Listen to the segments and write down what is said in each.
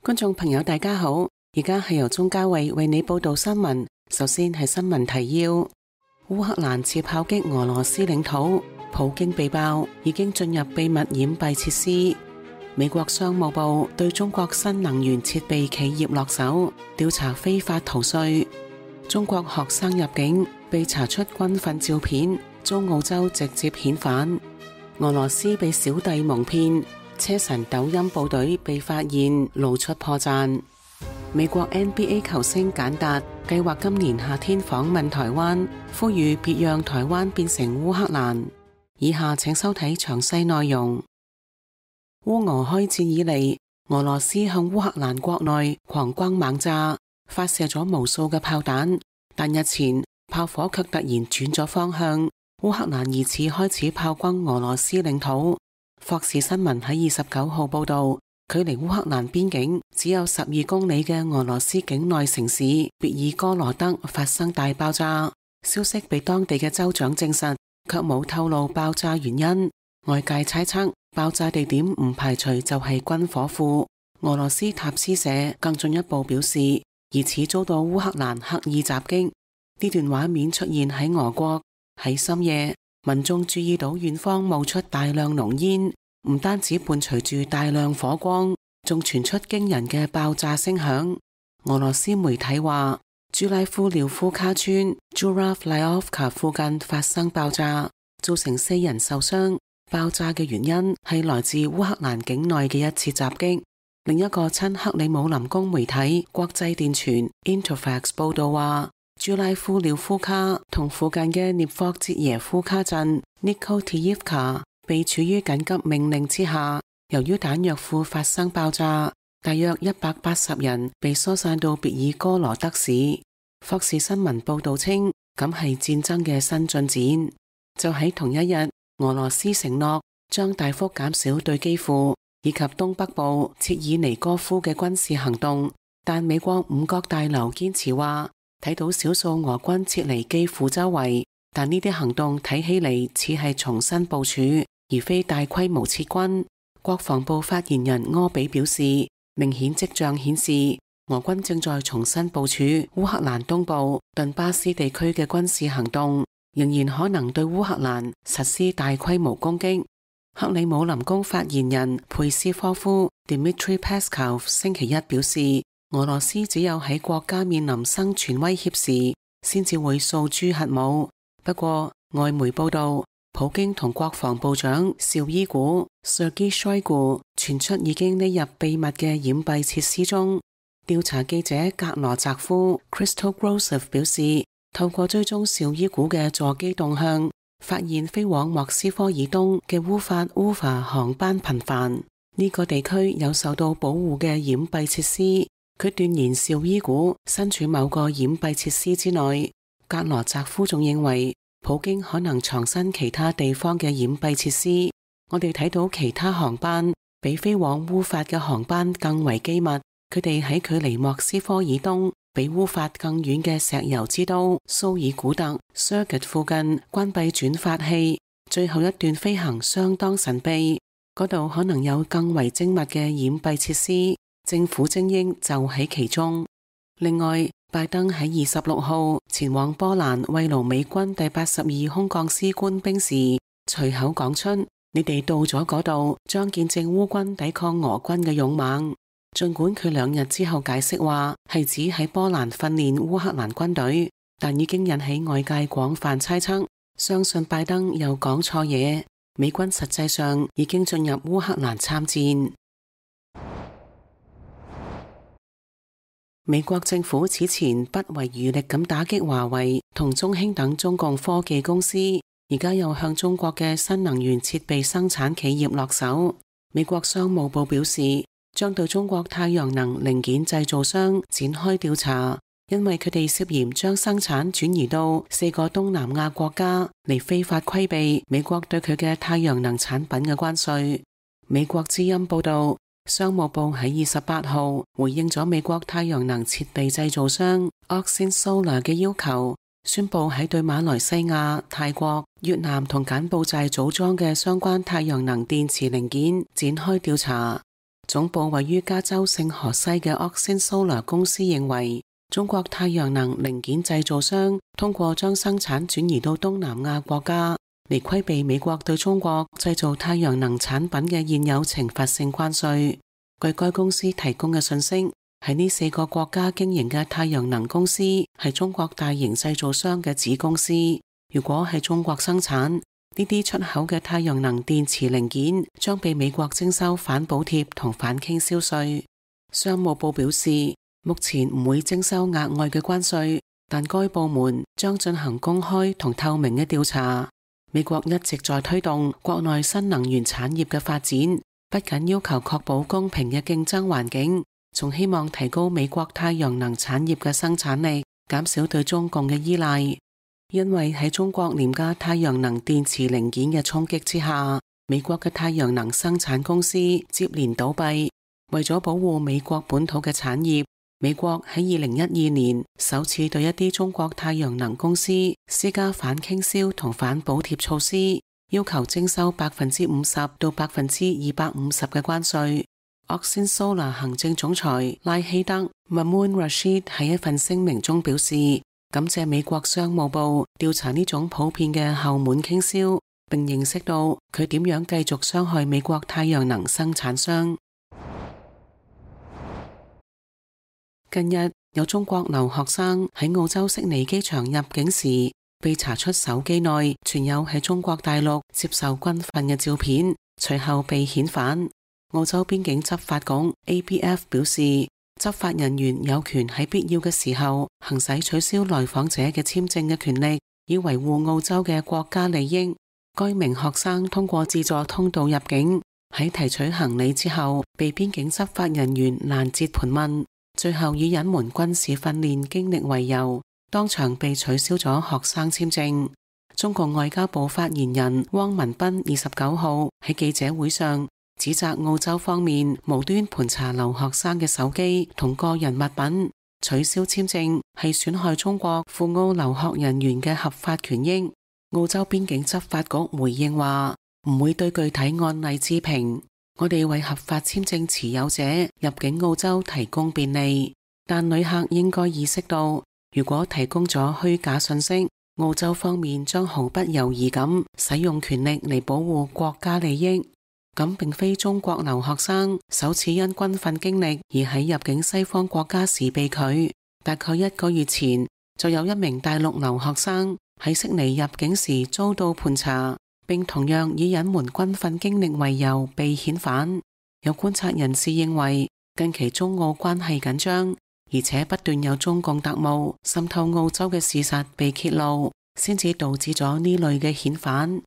觀眾朋友大家好，而家係由鍾嘉慧為你報道新聞。首先係新聞提要：烏克蘭似炮擊俄羅斯領土，普京被爆已經進入秘密掩蔽設施。美國商務部對中國新能源設備企業落手，調查非法逃稅。中國學生入境被查出軍訓照片，遭澳洲直接遣返。俄羅斯被小弟蒙騙，車臣抖音部隊被發現露出破綻。美國 NBA 球星簡達計劃今年夏天訪問台灣，呼籲別讓台灣變成烏克蘭。以下請收睇詳細內容。烏俄開戰以嚟，俄羅斯向烏克蘭國內狂轟猛炸，發射咗無數嘅炮彈，但日前炮火卻突然轉咗方向，烏克蘭疑似開始炮轟俄羅斯領土。霍士新聞喺29號報道，距離烏克蘭邊境只有12公里嘅俄羅斯境內城市別爾哥羅德發生大爆炸，消息被當地嘅州長證實，卻冇透露爆炸原因。外界猜測爆炸地點唔排除就係軍火庫。俄羅斯塔斯社更進一步表示，疑似遭到烏克蘭刻意襲擊。呢段畫面出現喺俄國，喺深夜，民眾注意到遠方冒出大量濃煙，唔單止伴隨住大量火光，仲傳出驚人嘅爆炸聲響。俄羅斯媒體話，朱拉夫廖夫卡村 Zhuravlyovka 附近發生爆炸，造成4人受傷。爆炸嘅原因係來自烏克蘭境內嘅一次襲擊。另一個親克里姆林宮媒體國際電傳 Interfax 報道話，朱拉夫廖夫卡同附近嘅涅霍捷耶夫卡鎮 Nikotiivka 被處於緊急命令之下，由於彈藥庫發生爆炸，大約180人被疏散到別爾哥羅德市。霍士新聞報道稱，咁係戰爭嘅新進展。就喺同一日，俄羅斯承諾將大幅減少對基輔以及東北部切爾尼戈夫嘅軍事行動，但美國五角大樓堅持話睇到少數俄軍撤離基輔周圍，但呢啲行動睇起嚟似係重新部署，而非大規模撤軍。國防部發言人柯比表示，明顯跡象顯示俄軍正在重新部署烏克蘭東部頓巴斯地區嘅軍事行動，仍然可能對烏克蘭實施大規模攻擊。克里姆林宮發言人佩斯科夫 Dmitry Peskov 星期一表示，俄羅斯只有喺國家面臨生存威脅時，先至會訴諸核武。不過，外媒報道，普京同國防部長紹伊古 Sergei Shoigu 傳出已經匿入秘密嘅掩蔽設施中。調查記者格羅澤夫 Crystal Grosov 表示，透過追蹤紹伊古嘅座機動向，發現飛往莫斯科以東嘅烏法烏法航班頻繁。呢個地區有受到保護嘅掩蔽設施。佢斷言紹伊古身處某個掩蔽設施之內。格羅澤夫仲認為，普京可能藏身其他地方嘅掩蔽設施。我哋睇到其他航班比飛往烏法嘅航班更為機密。佢哋喺距離莫斯科以東比烏法更遠嘅石油之都蘇爾古特 Surgut 附近關閉轉發器，最後一段飛行相當神秘，嗰度可能有更為精密嘅掩蔽設施，政府精英就喺其中。另外，拜登喺26號前往波蘭慰勞美軍第82空降師官兵時，隨口講出：你哋到咗嗰度，將見證烏軍抵抗俄軍嘅勇猛。儘管佢2日之後解釋話係指喺波蘭訓練烏克蘭軍隊，但已經引起外界廣泛猜測，相信拜登又講錯嘢。美軍實際上已經進入烏克蘭參戰。美國政府此前不遺餘力咁打擊華為同中興等中共科技公司，而家又向中國嘅新能源設備生產企業落手。美國商務部表示，將對中國太陽能零件製造商展開調查，因為佢哋涉嫌將生產轉移到4個東南亞國家嚟非法規避美國對佢嘅太陽能產品嘅關稅。美國之音報道，商務部喺28號回應咗美國太陽能設備製造商 Oxin Solar 嘅要求，宣布喺對馬來西亞、泰國、越南同柬埔寨組裝嘅相關太陽能電池零件展開調查。總部位於加州聖荷西嘅 Oxin Solar 公司認為，中國太陽能零件製造商通過將生產轉移到東南亞國家，嚟規避美國對中國製造太陽能產品嘅現有懲罰性關稅。據該公司提供嘅信息，喺呢4個國家經營嘅太陽能公司係中國大型製造商嘅子公司。如果喺中國生產，呢啲出口嘅太陽能電池零件將被美國徵收反補貼同反傾銷稅。商務部表示，目前唔會徵收額外嘅關稅，但該部門將進行公開同透明嘅調查。美國一直在推動國內新能源產業嘅發展，不僅要求確保公平嘅競爭環境，仲希望提高美國太陽能產業嘅生產力，減少對中共嘅依賴。因為喺中國廉價太陽能電池零件嘅衝擊之下，美國嘅太陽能生產公司接連倒閉。為咗保護美國本土嘅產業，美國喺2012年首次對一啲中國太陽能公司施加反傾銷同反補貼措施，要求徵收50%到250%嘅關稅。Oxin Solar 行政總裁拉希德 Mamoun Rashid 喺一份聲明中表示，感謝美國商務部調查呢種普遍嘅後門傾銷，並認識到佢點樣繼續傷害美國太陽能生產商。近日有中國留學生喺澳洲悉尼機場入境時，被查出手機內存有喺中國大陸接受軍訓嘅照片，隨後被遣返。澳洲邊境執法局 ABF 表示，執法人員有權喺必要嘅時候行使取消來訪者嘅簽證嘅權力，以維護澳洲嘅國家利益。該名學生通過自助通道入境，喺提取行李之後，被邊境執法人員攔截盤問，最後以隱瞞軍事訓練經歷為由，當場被取消咗學生簽證。中國外交部發言人汪文斌29號喺記者會上指責澳洲方面無端盤查留學生嘅手機同個人物品，取消簽證係損害中國赴澳留學人員嘅合法權益。澳洲邊境執法局回應話，唔會對具體案例置評，我哋為合法簽證持有者入境澳洲提供便利，但旅客應該意識到，如果提供咗虛假信息，澳洲方面將毫不猶豫咁使用權力嚟保護國家利益。咁並非中國留學生首次因軍訓經歷而喺入境西方國家時被拒。大概1個月前，就有一名大陸留學生喺悉尼入境時遭到盤查，並同樣以隱瞞軍訓經歷為由被遣返。有觀察人士認為，近期中澳關係緊張，而且不斷有中共特務滲透澳洲嘅事實被揭露，先至導致咗呢類嘅遣返。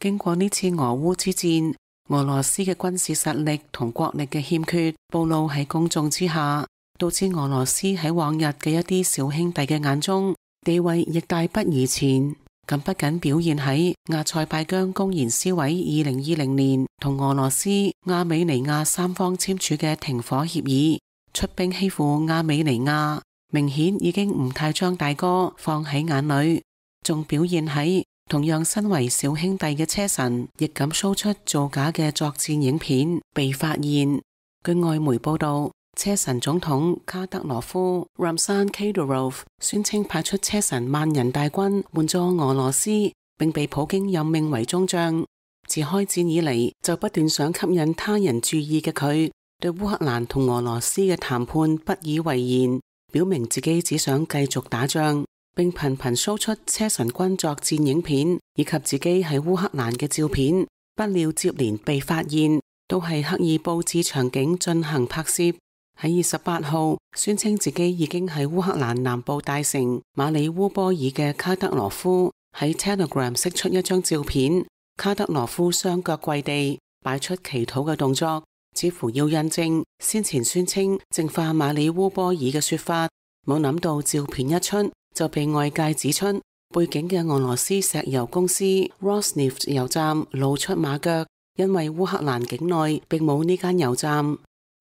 經過呢次俄烏之戰，俄羅斯嘅軍事實力同國力嘅欠缺暴露喺公眾之下，導致俄羅斯喺往日嘅一啲小兄弟嘅眼中地位亦大不如前。咁不僅表現喺亞塞拜疆公然撕毀2020年同俄羅斯、亞美尼亞三方簽署嘅停火協議，出兵欺負亞美尼亞，明顯已經唔太將大哥放喺眼裏，仲表現喺同樣身為小兄弟嘅車臣亦敢 show 出造假嘅作戰影片被發現。據外媒報道，車臣總統卡德羅夫 Ramzan Kadyrov 宣稱派出車臣萬人大軍援助俄羅斯，並被普京任命為中將。自開戰以嚟就不斷想吸引他人注意嘅佢，對烏克蘭同俄羅斯嘅談判不以為然，表明自己只想繼續打仗，並頻頻 show 出車臣軍作戰影片以及自己喺烏克蘭嘅照片。不料接連被發現，都係刻意佈置場景進行拍攝。喺28號宣稱自己已經喺烏克蘭南部大城馬里烏波爾嘅卡德羅夫喺 Telegram 釋出一張照片，卡德羅夫雙腳跪地擺出祈禱嘅動作，似乎要印證先前宣稱淨化馬里烏波爾嘅說法。冇諗到照片一出就被外界指出，背景嘅俄羅斯石油公司 Rosneft 油站露出馬腳，因為烏克蘭境內並冇呢間油站。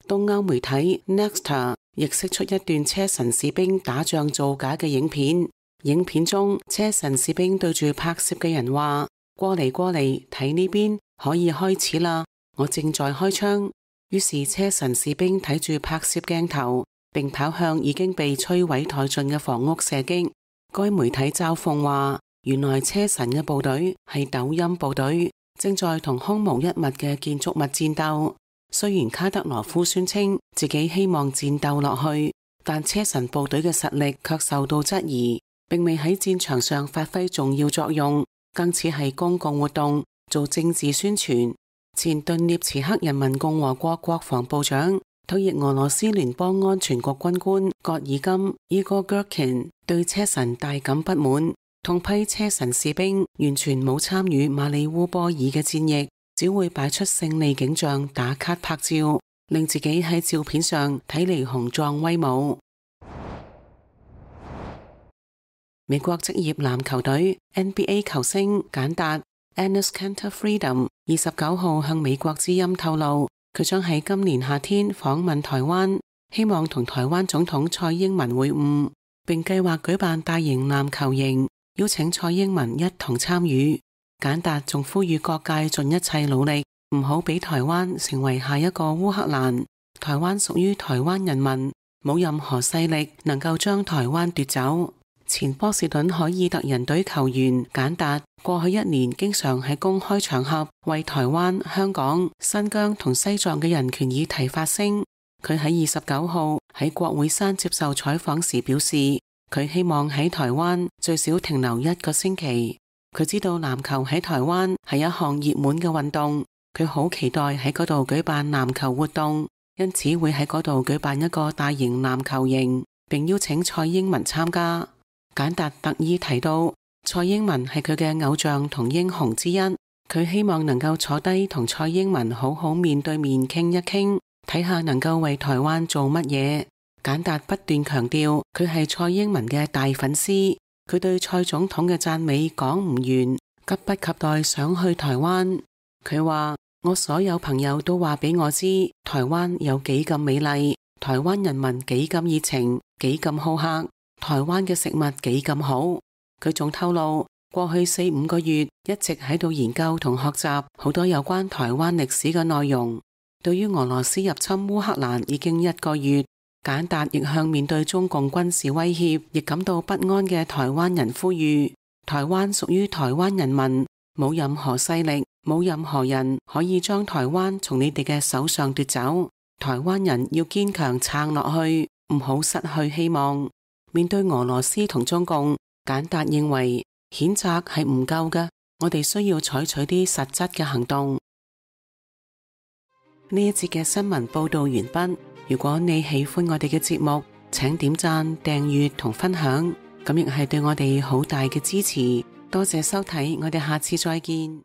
東歐媒體 Nexta 亦釋出一段車臣士兵打仗造假嘅影片，影片中車臣士兵對住拍攝嘅人話：過嚟過嚟睇呢邊，可以開始啦，我正在開槍。於是車臣士兵睇住拍攝鏡頭，並跑向已經被摧毀殆盡嘅房屋射擊。該媒體嘲諷話，原來車臣嘅部隊係抖音部隊，正在同空無一物嘅建築物戰鬥。雖然卡德羅夫宣稱自己希望戰鬥落去，但車臣部隊嘅實力卻受到質疑，並未喺戰場上發揮重要作用，更似係公共活動，做政治宣傳。前頓涅茨克人民共和國國防部長、退役俄羅斯聯邦安全局軍官戈爾金伊戈戈琴對車臣大感不滿，痛批車臣士兵完全冇參與馬里烏波爾嘅戰役，只會擺出勝利景象打卡拍照，令自己喺照片上睇嚟雄壯威武。美國職業籃球隊 NBA 球星簡達 Enes Kanter Freedom 29號向美國之音透露，佢將喺今年夏天訪問台灣，希望同台灣總統蔡英文會晤，並計劃舉辦大型籃球營，邀請蔡英文一同參與。簡達仲呼籲各界盡一切努力，唔好俾台灣成為下一個烏克蘭。台灣屬於台灣人民，冇任何勢力能夠將台灣奪走。前波士頓凱爾特人隊球員簡達過去1年經常喺公開場合為台灣、香港、新疆同西藏嘅人權議題發聲。佢喺29號喺國會山接受採訪時表示，佢希望喺台灣最少停留1個星期。佢知道籃球喺台灣係一項熱門嘅運動，佢好期待喺嗰度舉辦籃球活動，因此會喺嗰度舉辦一個大型籃球營，並邀請蔡英文參加。簡達特意提到，蔡英文係佢嘅偶像同英雄之一，佢希望能夠坐低同蔡英文好好面對面傾一傾，睇下能夠為台灣做乜嘢。簡達不斷強調佢係蔡英文嘅大粉絲，佢對蔡總統嘅讚美講唔完，急不及待想去台灣。佢話，我所有朋友都話俾我知，台灣有幾咁美麗，台灣人民幾咁熱情，幾咁好客，台灣嘅食物幾咁好。佢仲透露，過去4-5個月一直喺度研究同學習好多有關台灣歷史嘅內容。對於俄羅斯入侵烏克蘭已經1個月，簡達亦向面對中共軍事威脅亦感到不安嘅台灣人呼籲，台灣屬於台灣人民，冇任何勢力，冇任何人可以將台灣從你哋嘅手上奪走。台灣人要堅強撐落去，唔好失去希望。面對俄羅斯同中共，簡達認為譴責係唔夠嘅，我哋需要採取啲實質嘅行動。呢一節嘅新聞報道完畢。如果你喜歡我哋嘅節目，請點讚、訂閱同分享，咁亦係對我哋好大嘅支持。多謝收睇，我哋下次再見。